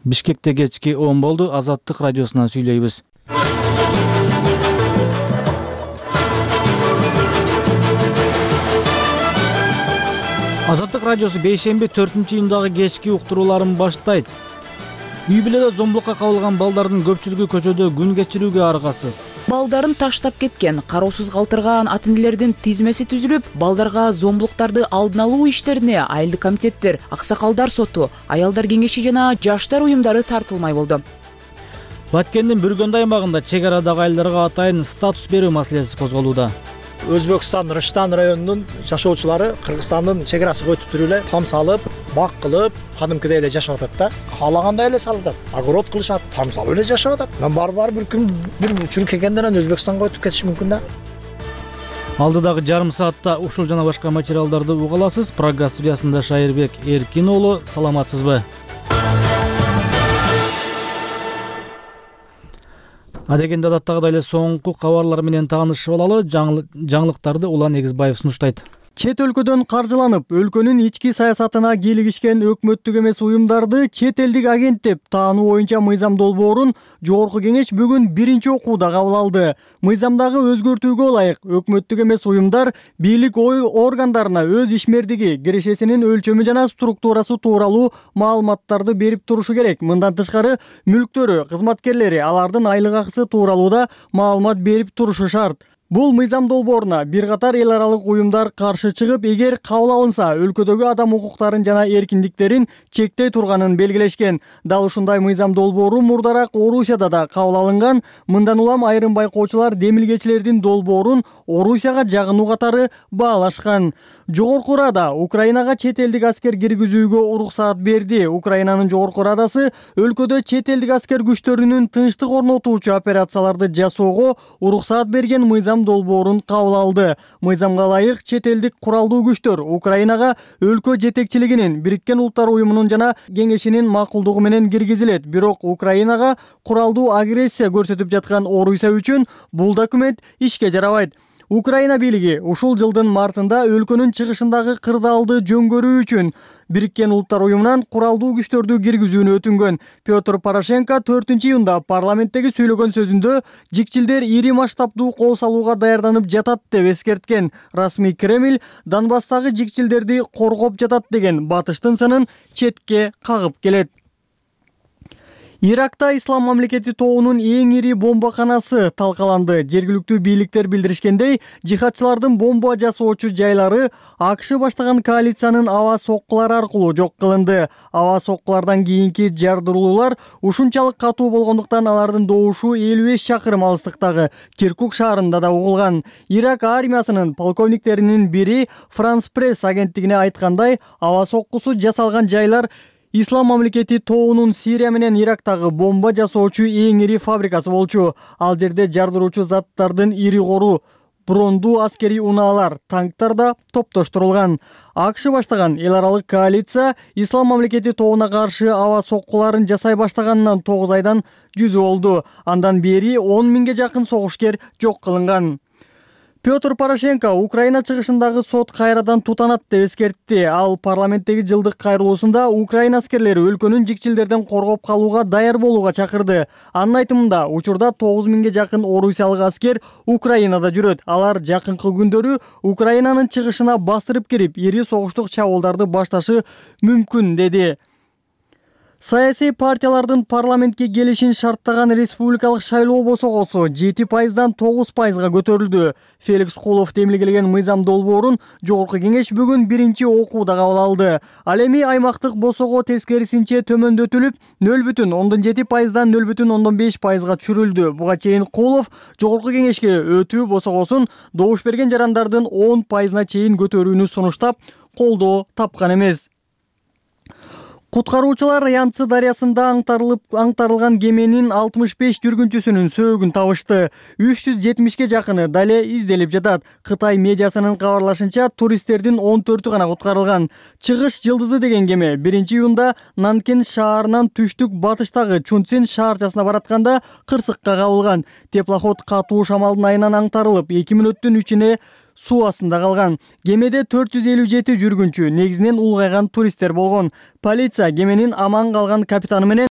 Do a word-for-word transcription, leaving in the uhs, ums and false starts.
Бишкекте кечки он болду. Азаттык радиосунан сүйлөйбүз. Азаттык радиосу бейшемби төртүнчү июндагы кечки уктурууларын баштайт. Үй бүлөдө зомбулукка кабылган балдардын көпчүлүгү көчөдө күн кечирүүгө аргасыз. Балдарын таштап кеткен, кароосуз калтырган ата-энелердин тизмеси түзүлүп, балдарга зомбулуктарды алдын алуу иштерине айылдык комитеттер, аксакалдар соту, аялдар кеңеши жана жаштар уюмдары тартылмай болду. Баткендин Бүргөндү аймагында чек арадагы айылдарга атайын статус берүү маселеси козголууда. Өзбекстан Рыштан районунун жашоочулары Кыргызстандын чек арасыга өтүп туруп эле там салып, бак кылып, кадимкидей эле жашап атат да. Каалагандай эле салып атат. Огород кылышат, там салып эле жашап атат. Мен бар-бар бир күн бир учур келгенден анан Өзбекстанга өтүп кетиш мүмкүн да. Алдыдагы жарым саатта ушул жана башка материалдарды уга аласыз. Программа студиясында Шайырбек Эркин уулу, саламатсызбы? Адегенде адаттагыдай эле соңку кабарлар менен таанышып алалы. Жаңылыктарды Улан Эгизбаев сунуштайт. Чет өлкөдөн каржыланып, өлкөнүн ички саясатына кийлигишкен өкмөттүк эмес уюмдарды чет элдик агент деп таануу боюнча мыйзам долбоорун Жогорку кеңеш бүгүн биринчи окууда кабыл алды. Мыйзамдагы өзгөртүүгө ылайык өкмөттүк эмес уюмдар бийлик ой органдарына өз ишмердиги, кирешесинин өлчөмү жана структурасы тууралуу маалыматтарды берип турушу керек. Мындан тышкары мүлктөрү, кызматкерлери, алардын айлык акысы тууралуу да маалымат берип турушу шарт. Бул мыйзам долбооруна бир катар эл аралык уюмдар каршы чыгып, эгер кабыл алынса, өлкөдөгү адам укуктарын жана эркиндиктерин чектей турганын белгилешкен. Дал ушундай мыйзам долбоору мурдараак Орусияда да кабыл алынган. Мындан улам айрым байкоочулар демилгечилердин долбоорун Орусияга жагынуу катары баалашкан. Жогорку Рада Украинага чет элдик аскер киргизүүгө уруксаат берди. Украинанын Жогорку Радасы өлкөдө чет элдик аскер күчтөрүнүн тынчтык орнотуучу операцияларды жасоого уруксаат берген мыйзам долбоорун кабыл алды. Мыйзамга ылайык чет элдик куралдуу күчтөр Украинага өлкө жетекчилигинин, Бириккен Улуттар уюмунун жана кеңешинин макулдугу менен киргизилет. Бирок Украинага куралдуу агрессия көрсөтүп жаткан Орусия үчүн бул документ ишке жарабайт. Украина бийлиги ушул жылдын мартында өлкөнүн чыгышындагы кырдаалды жөнгөрүү үчүн Бириккен Улуттар уюмунан куралдуу күчтөрдү киргизүүнү өтүнгөн. Петр Порошенко төртүнчү июнда парламенттеги сүйлөгөн сөзүндө жикчилдер ири масштабдуу кол салууга даярданып жатат деп эскерткен. Расмий Кремль Донбасстагы жикчилдерди коргоп жатат деген батыштын сынын четке кагып келет. Иракта Ислам мамлекети тобунун эң ири бомбаканасы талкаланды. Жергиликтүү бийликтер билдиришкендей, жихадчылардын бомба жасоочу жайлары АКШ баштаган коалициянын аба соккулары аркылуу жок кылынды. Аба соккулардан кийинки жардыруулар ушунчалык катуу болгондуктан алардын добушу элүү беш чакырым алыстыктагы Киркук шаарында да угулган. Ирак армиясынын полковниктеринин бири Франс Пресс агенттигине айткандай, аба соккусу жасалган жайлар Ислам мамлекети тобунун Сирия менен Ирактагы бомба жасоочу эң ири фабрикасы болчу. Ал жерде жардыруучу заттардын ири кору, брондуу аскери унаалар, танктар да топтоштурулган. АКШ баштаган эл аралык коалиция Ислам мамлекети тобуна каршы аба соккуларын жасай баштаганынан тогуз айдан жүзү болду. Андан бери он миңге жакын согушкер жок кылынган. Петр Порошенко Украина чыгышындагы сот кайрадан тутанат деп эскертти. Ал парламенттеги жылдык кайрылуусунда Украина аскерлери өлкөнүн жикчилдерден коргоп калууга даяр болууга чакырды. Анын айтымында, учурда тогуз миңге жакын орусиялык аскер Украинада жүрөт. Алар жакынкы күндөрү Украинанын чыгышына бастырып кирип, ири согуштук чабуулдарды башташы мүмкүн, деди. Саясий партиялардын парламентке келишин шарттаган республикалык шайлоо босогосу жети пайыздан тогуз пайызга көтөрүлдү. Феликс Кулов демилгелеген мыйзам долбоорун Жогорку кеңеш бүгүн биринчи окууда кабыл алды. Ал эми аймактык босого тескерисинче төмөндөтүлүп, нөл бүтүн ондон жети пайыздан нөл бүтүн ондон беш пайызга түшүрүлдү. Буга чейин Кулов Жогорку кеңешке өтүү босогосун добуш берген жарандардын он пайызына чейин көтөрүүнү сунуштап, колдоо тапкан эмес. Куткаруучулар Янцы дарыясында аңтарылып аңтарылган кеменин алтымыш беш жүргүнчүсүнүн сөөгүн табышты. үч жүз жетимишке жакыны дале изделип жатат. Кытай медиасынын кабарлашынча, туристтердин он төртү гана куткарылган. Чыгыш жылдызы деген кеме биринчи июнда Нанкен шаарынан түштүк батыштагы Чунцин шаарчасына баратканда кырсыкка кабылган. Теплоход катуу шамалдын айынан аңтарылып, эки мүнөттүн ичине суу астында калган. Кемеде төрт жүз элүү жети жүргүнчү, негизинен улгайган туристтер болгон. Полиция кеменин аман калган капитаны менен